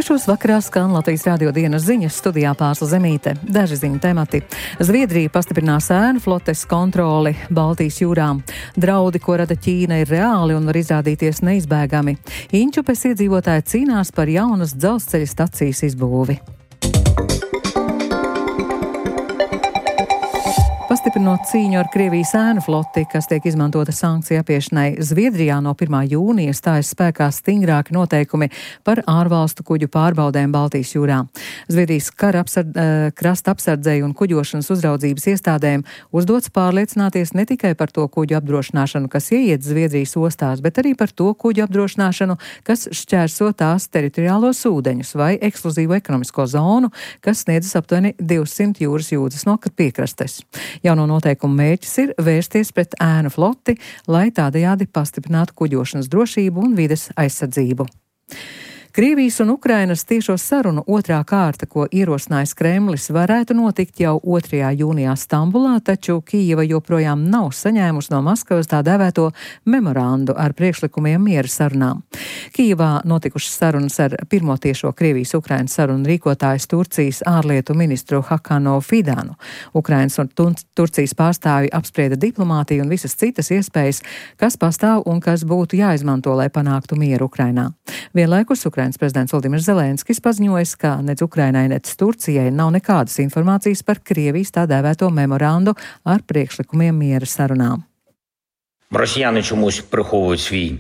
6 vakarā skan Latvijas radio dienas ziņas, studijā Pārsla Zemīte. Daži ziņu temati. Zviedrija pastiprinās ēnu flotes kontroli Baltijas jūrā. Draudi, ko rada Ķīna, ir reāli un var izrādīties neizbēgami. Inčupes iedzīvotāji cīnās par jaunas dzelzceļa stacijas izbūvi. Pastiprinot cīņu ar Krievijas ēnu floti, kas tiek izmantota sankciju apiešanai, Zviedrijā no 1. jūnija stājas spēkā stingrāki noteikumi par ārvalstu kuģu pārbaudēm Baltijas jūrā. Zviedrijas krasta apsardzēju un kuģošanas uzraudzības iestādēm uzdots pārliecināties ne tikai par to kuģu apdrošināšanu, kas ieiet Zviedrijas ostās, bet arī par to kuģu apdrošināšanu, kas šķērso tās teritoriālos ūdeņus vai ekskluzīvo ekonomisko zonu, kas sniedzas aptuveni 200 jūras jūdzes no piekrastes. Jauno noteikumu mērķis ir vērsties pret ēnu floti, lai tādējādi pastiprinātu kuģošanas drošību un vides aizsardzību. Krievijas un Ukrainas tiešo sarunu otrā kārta, ko ierosinājis Kremlis, varētu notikt jau 2. jūnijā Stambulā, taču Kijeva joprojām nav saņēmusi no Maskavas tā dēvēto memorandu ar priekšlikumiem miera sarunām. Kijevā notikušas sarunas ar pirmo tiešo Krievijas-Ukrainas sarunu rīkotājs Turcijas ārlietu ministru Hakano Fidanu. Ukrainas un Turcijas pārstāvji apsprieda diplomātiju un visas citas iespējas, kas pastāv un kas būtu jāizmanto, lai panāktu mieru Ukrainā. Vienlaikus Ukrainas prezidents Volodimirs Zelenskis paziņoja, ka nec Ukrainai, nec Turcijai nav nekādas informācijas par Krievijas tā dēvēto memorandu ar priekšlikumiem miera sarunām. Росіяни чомусь приховують свій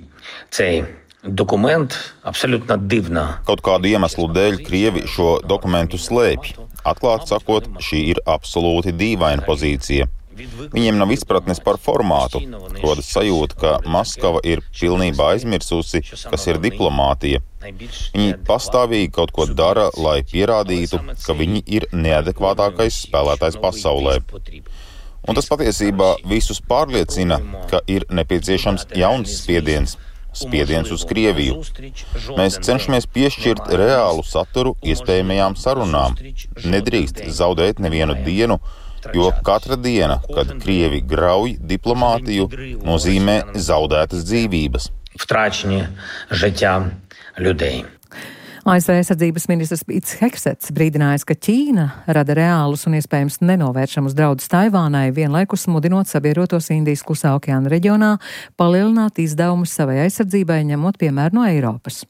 цей документ абсолютно дивно. Kaut kādu iemeslu dēļ Krievi šo dokumentu slēpj. Atklāti sakot, šī ir absolūti dīvaina pozīcija. Viņiem nav izpratnes par formātu, rodas sajūta, ka Maskava ir pilnībā aizmirsusi, kas ir diplomātija. Viņi pastāvīgi kaut ko dara, lai pierādītu, ka viņi ir neadekvātākais spēlētājs pasaulē. Un tas patiesībā visus pārliecina, ka ir nepieciešams jauns spiediens uz Krieviju. Mēs cenšamies piešķirt reālu saturu iespējamajām sarunām. Nedrīkst zaudēt nevienu dienu, jo katra diena, kad Krievi grauj diplomātiju, nozīmē zaudētas dzīvības. Втрачені життя людей. ASV aizsardzības ministrs Pīts Hegsets brīdinājis, ka Ķīna rada reālus un iespējams nenovēršamus draudus Taivānai, vienlaikus mudinot sabiedrotos Indijas Klusā okeāna reģionā palielināt izdevumus savai aizsardzībai, ņemot piemēru no Eiropas.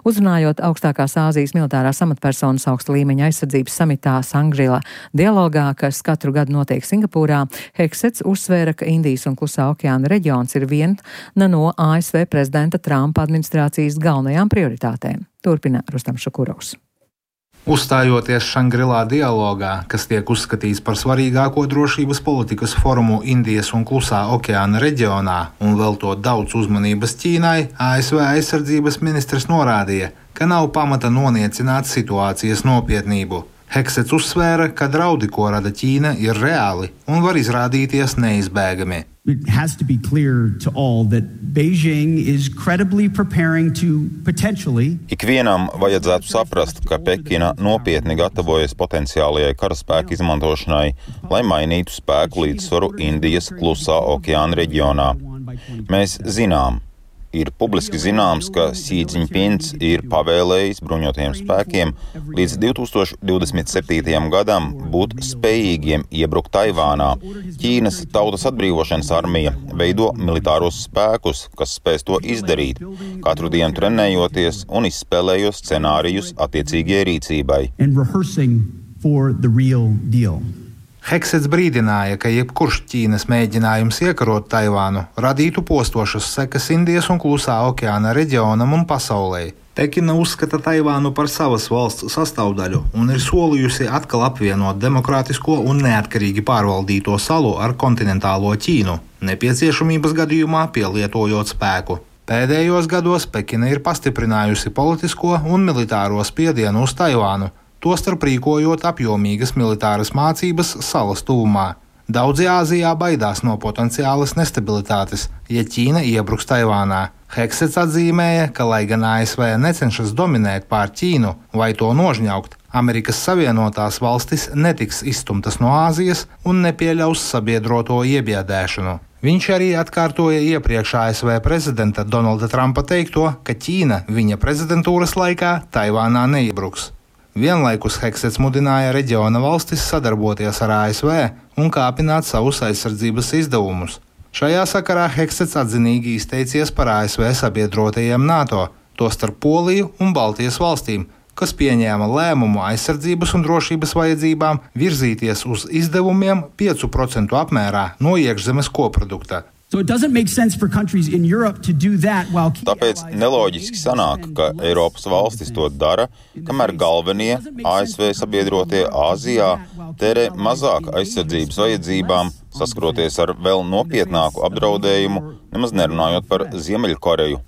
Uzrunājot augstākās Āzijas militārās amatpersonas augsta līmeņa aizsardzības samitā Sangrila dialogā, kas katru gadu notiek Singapūrā, Hegsets uzsvēra, ka Indijas un Klusā okeāna reģions ir viena no ASV prezidenta Trumpa administrācijas galvenajām prioritātēm. Turpina Rustam Šakurovs. Uzstājoties Šangrilā dialogā, kas tiek uzskatīts par svarīgāko drošības politikas forumu Indijas un Klusā okeāna reģionā un veltot daudz uzmanības Ķīnai, ASV aizsardzības ministrs norādīja, ka nav pamata noniecināt situācijas nopietnību. Hegsets uzsvēra, ka draudi, ko rada Ķīna, ir reāli un var izrādīties neizbēgami. It has to be clear to all that Beijing is credibly preparing to potentially. Ikvienam vajadzētu saprast, ka Pekina nopietni gatavojas potenciālajai karaspēku izmantošanai, lai mainītu spēku līdzsvaru Indijas Klusā okeāna reģionā. Mēs zinām, ir publiski zināms, ka Xi Jinpings ir pavēlējis bruņotajiem spēkiem līdz 2027. gadam būt spējīgiem iebrukt Taivānā. Ķīnas Tautas atbrīvošanas armija veido militāros spēkus, kas spēs to izdarīt, katru dienu trenējoties un izspēlējot scenārijus attiecīgai rīcībai. Hegsets brīdināja, ka jebkurš Ķīnas mēģinājums iekarot Taivānu radītu postošas sekas Indijas un Klusā okeāna reģionam un pasaulē. Pekina uzskata Taivānu par savas valsts sastāvdaļu un ir solījusi atkal apvienot demokrātisko un neatkarīgi pārvaldīto salu ar kontinentālo Ķīnu, nepieciešamības gadījumā pielietojot spēku. Pēdējos gados Pekina ir pastiprinājusi politisko un militāro spiedienu uz Taivānu, tostarp rīkojot apjomīgas militāras mācības salas tuvumā. Daudzi Āzijā baidās no potenciālas nestabilitātes, ja Ķīna iebruks Taivānā. Hegsets atzīmēja, ka, lai gan ASV necenšas dominēt pār Ķīnu vai to nožņaukt, Amerikas Savienotās valstis netiks izstumtas no Āzijas un nepieļaus sabiedroto iebiedēšanu. Viņš arī atkārtoja iepriekš ASV prezidenta Donalda Trumpa teikto, ka Ķīna viņa prezidentūras laikā Taivānā neiebruks. Vienlaikus Hegsets mudināja reģiona valstis sadarboties ar ASV un kāpināt savus aizsardzības izdevumus. Šajā sakarā Hegsets atzinīgi izteicies par ASV sabiedrotajiem NATO, tostarp Poliju un Baltijas valstīm, kas pieņēma lēmumu aizsardzības un drošības vajadzībām virzīties uz izdevumiem 5% apmērā no iekšzemes koprodukta. Tāpēc neloģiski sanāk, ka Eiropas valstis to dara, kamēr galvenie ASV sabiedrotie Āzijā tērē mazāk aizsardzības vajadzībām, saskroties ar vēl nopietnāku apdraudējumu, nemaz nerunājot par Ziemeļkoreju.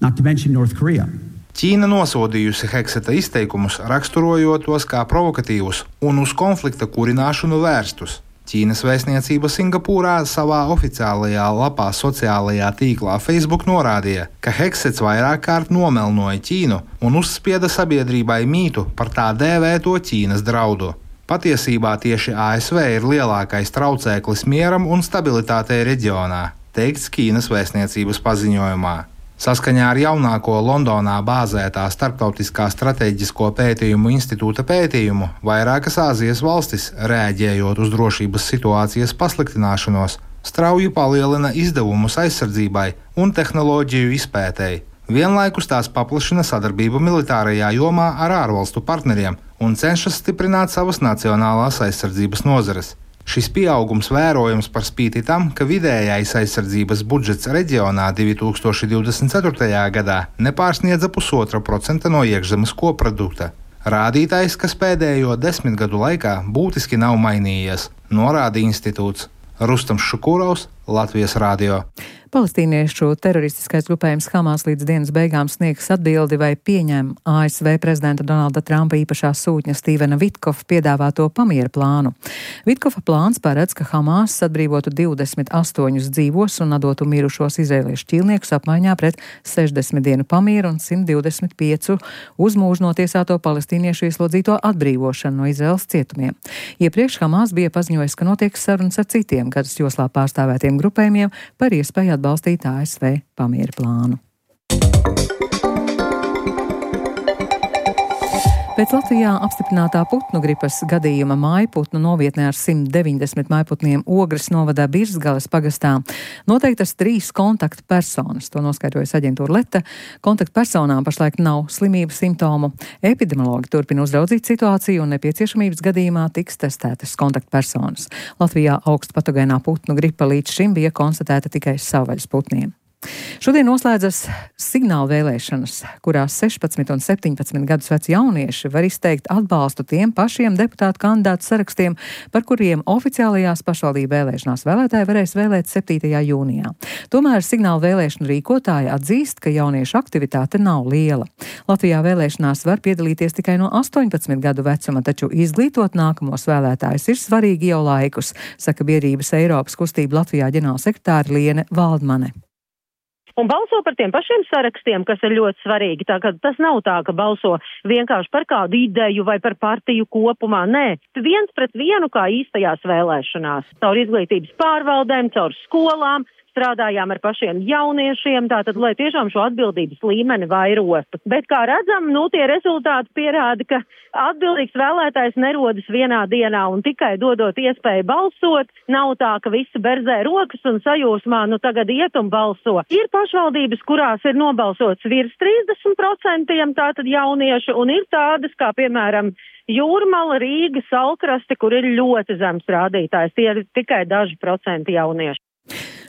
Ķīna nosodījusi Hegseta izteikumus, raksturojot tos kā provokatīvus un uz konflikta kurināšanu vērstus. Ķīnas vēstniecība Singapūrā savā oficiālajā lapā sociālajā tīklā Facebook norādīja, ka Hegsets vairāk kārt nomelnoja Ķīnu un uzspieda sabiedrībai mītu par tā dēvēto Ķīnas draudu. Patiesībā tieši ASV ir lielākais traucēklis mieram un stabilitātei reģionā, teikts Ķīnas vēstniecības paziņojumā. Saskaņā ar jaunāko Londonā bāzētā Starptautiskā strateģisko pētījumu institūta pētījumu, vairākas Āzijas valstis, reaģējot uz drošības situācijas pasliktināšanos, strauji palielina izdevumus aizsardzībai un tehnoloģiju izpētei. Vienlaikus tās paplašina sadarbību militārajā jomā ar ārvalstu partneriem un cenšas stiprināt savas nacionālās aizsardzības nozares. Šis pieaugums vērojams par spīti tam, ka vidējais aizsardzības budžets reģionā 2024. gadā nepārsniedza 0,5% no iekšzemes koprodukta. Rādītājs, kas pēdējo 10 gadu laikā būtiski nav mainījies, norāda institūts. Rustams Šukurovs, Latvijas radio. Palestīniešu teroristiskais grupējums Hamas līdz dienas beigām sniegs atbildi, vai pieņem ASV prezidenta Donalda Trumpa īpašā sūtņa Stīvena Vitkova piedāvāto pamiera plānu. Vitkova plāns paredz, ka Hamas atbrīvotu 28 dzīvos un atdotu mirušos izraēliešu ķīlniekus apmaiņā pret 60 dienu pamieru un 125 uz mūžu notiesāto palestīniešu ieslodzīto atbrīvošanu no Izraēlas cietumiem. Iepriekš Hamas bija paziņojis, ka notiek sarunas ar citiem gadas joslā pārstāvētiem grupējumiem par iespēju atbalstīt ASV pamiera plānu. Pēc Latvijā apstiprinātā putnu gripas gadījuma mājputnu novietnē ar 190 mājputniem Ogres novadā Birzgales pagastā noteiktas 3 kontaktpersonas. To noskaidrojas aģentūra Leta. Kontaktpersonām pašlaik nav slimības simptomu. Epidemiologi turpina uzraudzīt situāciju un nepieciešamības gadījumā tiks testētas kontaktpersonas. Latvijā augstpatogēnā putnu gripa līdz šim bija konstatēta tikai savvaļas putniem. Šodien noslēdzas signāla vēlēšanas, kurās 16 un 17 gadus veci jaunieši var izteikt atbalstu tiem pašiem deputātu kandidātu sarakstiem, par kuriem oficiālajās pašvaldību vēlēšanās vēlētāji varēs vēlēt 7. jūnijā. Tomēr signāla vēlēšanu rīkotāji atzīst, ka jauniešu aktivitāte nav liela. Latvijā vēlēšanās var piedalīties tikai no 18 gadu vecuma, taču izglītot nākamos vēlētājus ir svarīgi jau laikus, saka biedrības Eiropas kustība Latvijā ģenerālsekretāre Liene Valdmane. Un balso par tiem pašiem sarakstiem, kas ir ļoti svarīgi. Tā kā tas nav tā, ka balso vienkārši par kādu ideju vai par partiju kopumā. Nē, 1 pret 1 kā īstajās vēlēšanās. Caur izglītības pārvaldēm, caur skolām. Strādājām ar pašiem jauniešiem, tātad, lai tiešām šo atbildības līmeni vairotu. Bet, kā redzam, tie rezultāti pierāda, ka atbildīgs vēlētājs nerodas vienā dienā un tikai dodot iespēju balsot. Nav tā, ka visi berzē rokas un sajūsmā, tagad iet un balso. Ir pašvaldības, kurās ir nobalsots virs 30%, tātad jaunieši, un ir tādas, kā piemēram Jūrmala, Rīga, Salkraste, kur ir ļoti zems rādītājs. Tie ir tikai daži procenti jaunieši.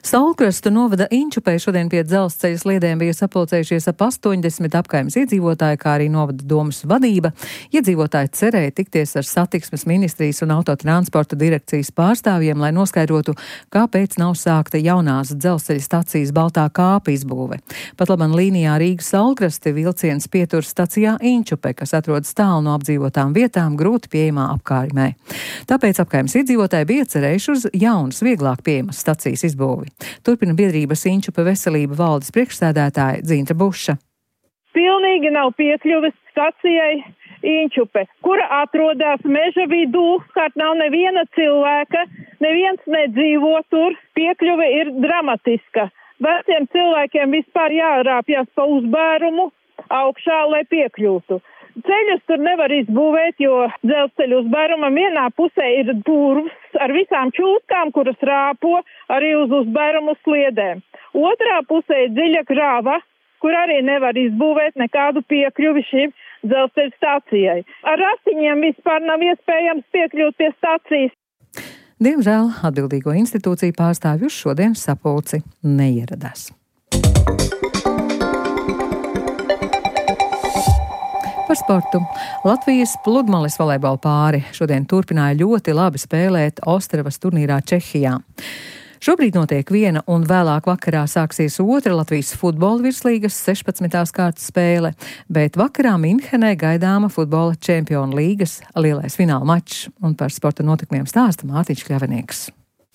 Salkrastu novada Inčupē šodien pie dzelzceļa sliedēm bija sapulcējušies ap 80 apkaimes iedzīvotāji, kā arī novada domas vadība. Iedzīvotāji cerēja tikties ar satiksmes ministrijas un autotransporta direkcijas pārstāvjiem, lai noskaidrotu, kāpēc nav sākta jaunās dzelzceļa stacijas Baltā kāpa izbūve. Pat labam līnijā Rīgas Salkraste vilciens pietur stacijā Inčupē, kas atrodas tālu no apdzīvotām vietām, grūti pieejamā apkārimē. Tāpēc apkaimes iedzīvotāji bija cerējuši uz jaunas, vieglāk pieejamas stacijas izbūvi. Turpina biedrības Inčupe veselība valdes priekšsēdētāja Dzintra Buša. Pilnīgi nav piekļuves stacijai, Inčupe, kura atrodas meža vidū, kārt nav neviena cilvēka, neviens nedzīvo tur, piekļuve ir dramatiska. Veciem cilvēkiem vispār jārāpjas pa uzbērumu augšā, lai piekļūtu. Ceļus tur nevar izbūvēt, jo dzelzceļu uzbērumam vienā pusē ir durvis ar visām čūskām, kuras rāpo arī uz uzbērumu sliedēm. Otrā pusē ir dziļa grava, kur arī nevar izbūvēt nekādu piekļuvi šīm dzelzceļa stācijai. Ar ratiņiem vispār nav iespējams piekļūt pie stācijas. Diemžēl atbildīgo institūciju pārstāvju uz šodienas sapulci neieradās. Par sportu. Latvijas pludmales volejbola pāri šodien turpināja ļoti labi spēlēt Ostravas turnīrā Čehijā. Šobrīd notiek viena un vēlāk vakarā sāksies otra Latvijas futbola virslīgas 16. kārtas spēle, bet vakarā Minhenē gaidāma futbola čempionu līgas lielais fināla mačs, un par sporta notikumiem stāsta Mārtiņš Kļavinieks.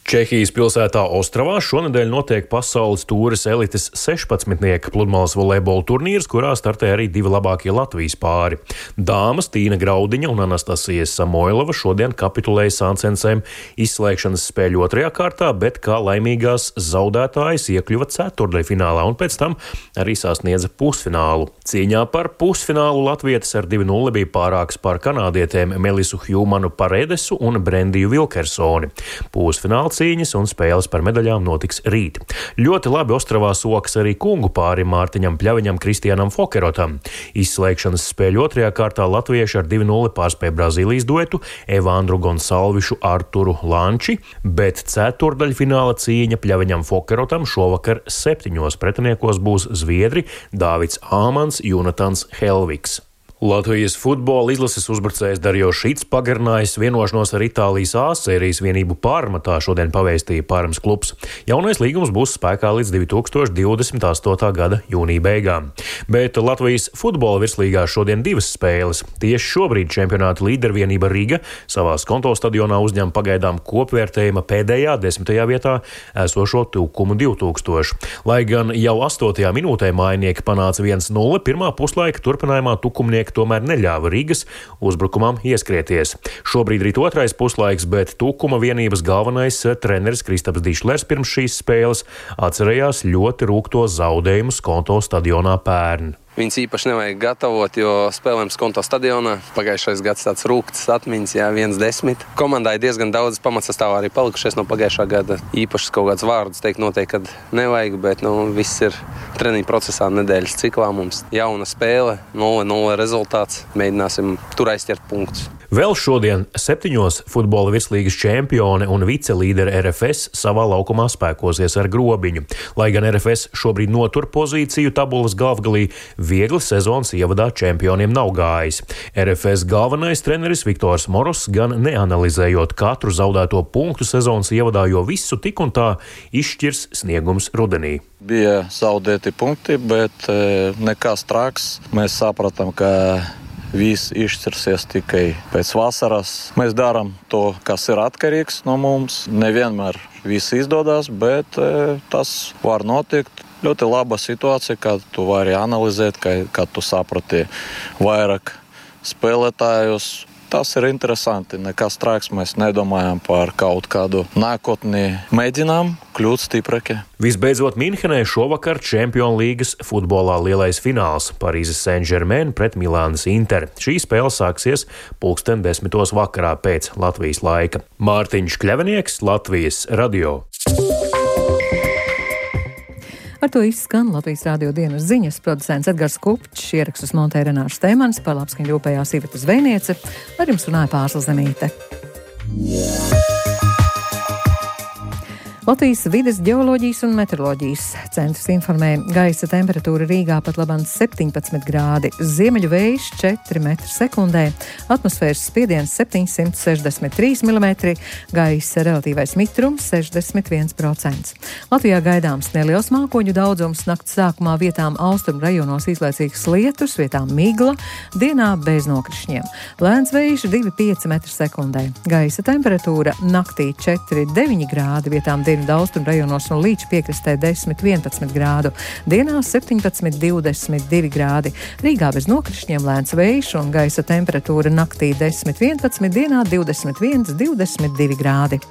Čehijas pilsētā Ostravā šonedēļ notiek pasaules tūres elites 16. pludmales volejbola turnīrs, kurā startē arī divi labākie Latvijas pāri. Dāmas Tīna Graudiņa un Anastasija Samoilova šodien kapitulēja sāncensēm izslēgšanas spēļu otrajā kārtā, bet kā laimīgās zaudētājas iekļuva ceturtdaļfinālā un pēc tam arī sasniedza pusfinālu. Cīņā par pusfinālu latvietes ar 2-0 bija pārāks par kanādietēm Melisu Hjūmanu Paredesu un Brendiju Vilkersoni. Pusfināla cīņas un spēles par medaļām notiks rīt. Ļoti labi Ostravā sokas arī kungu pārim Mārtiņam Pļaviņam, Kristianam Fokerotam. Izslēgšanas spēļu otrajā kārtā latvieši ar 2-0 pārspēja Brazīlijas duetu Evandru Gonsalvišu Arturu Lanči, bet ceturtdaļfināla cīņa Pļaviņam Fokerotam šovakar 7 pretiniekos būs zviedri Dāvids Āmans, Jonatans Helviks. Latvijas futbola izlases uzbrucējs Darjo Šits pagarinājis vienošanos ar Itālijas A-sērijas vienību Parma, tā šodien pavēstīja Parmas klubs. Jaunais līgums būs spēkā līdz 2028. gada jūnija beigām. Bet Latvijas futbola virslīgā šodien divas spēles. Tieši šobrīd čempionāta līdervienība Riga savās konto stadionā uzņem pagaidām kopvērtējuma pēdējā 10. vietā esošo Tukumu 2000. Lai gan jau 8. minūtē mājinieki panāca 1-0, pirmā puslaika turpinājumā tukumnieki tomēr neļāva Rigas uzbrukumam ieskrieties. Šobrīd ir otrais puslaiks, bet Tukuma vienības galvenais treneris Kristaps Dišlers pirms šīs spēles atcerējās ļoti rūgto zaudējumu Skonto stadionā pērn. Viņus īpaši nevajag gatavot, jo spēlējam Skonto stadionā. Pagājušais gads tāds rūgts atmiņas, 1-10. Komandai diezgan daudz pamatsastāvā arī palikušies no pagājušā gada. Īpašas kaut kāds vārdus teikt noteikti, kad nevajag, bet viss ir treniņu procesā nedēļas ciklā. Mums jauna spēle, 0-0 rezultāts. Mēģināsim tur aizķert punktus. Vēl šodien 7 futbola virslīgas čempione un vicelīdere RFS savā laukumā spēkosies ar Grobiņu. Lai gan RFS šobrīd notur pozīciju tabulas galvgalī, viegli sezonas ievadā čempioniem nav gājis. RFS galvenais treneris Viktors Moros gan neanalizējot katru zaudēto punktu sezonas ievadā, jo visu tik un tā izšķirs sniegums rudenī. Bija zaudēti punkti, bet nekas traks. Mēs sapratām, ka viss izšķirsies tikai pēc vasaras. Mēs darām to, kas ir atkarīgs no mums. Nevienmēr viss izdodas, bet tas var notikt. Ļoti laba situācija, kad tu vari analizēt, kad tu saprati vairāk spēlētājus. Tas ir interesanti. Nekas traks, mēs nedomājam par kaut kādu nākotni. Mēģinām kļūt stiprāki. Visbeidzot, Minhenē šovakar Čempionu līgas futbolā lielais fināls Parīzes Saint-Germain pret Milānas Inter. Šī spēle sāksies 10:10 vakarā pēc Latvijas laika. Mārtiņš Kļavinieks, Latvijas radio. Ar to izskan Latvijas radio dienas ziņas, producents Edgars Kupčs, ierakstus montēja Renārs Steimans, par labskaņu rūpējās Iveta Zvejniece, ar jums runāja Pārsla Zemīte. Latvijas vides ģeoloģijas un meteoroloģijas centrs informē, gaisa temperatūra Rīgā pat labāk 17 grādi, ziemeļu vējš 4 m/sekundē, atmosfēras spiediens 763 mm, gaisa relatīvais mitrums 61%. Latvijā gaidāms neliels mākoņu daudzums, nakts sākumā vietām austrumu rajonos izlaicīgs lietus, vietām migla, dienā bez nokrišņiem. Lēns vējš 2,5 m/sekundē, gaisa temperatūra naktī 4,9 grādi, vietām 2 dienvidu austrumu rajonos un līča piekrastē 10–11 grādu, dienā 17–22 grādi. Rīgā bez nokrišņiem lēns vējš un gaisa temperatūra naktī 10–11, dienā 21–22 grādi.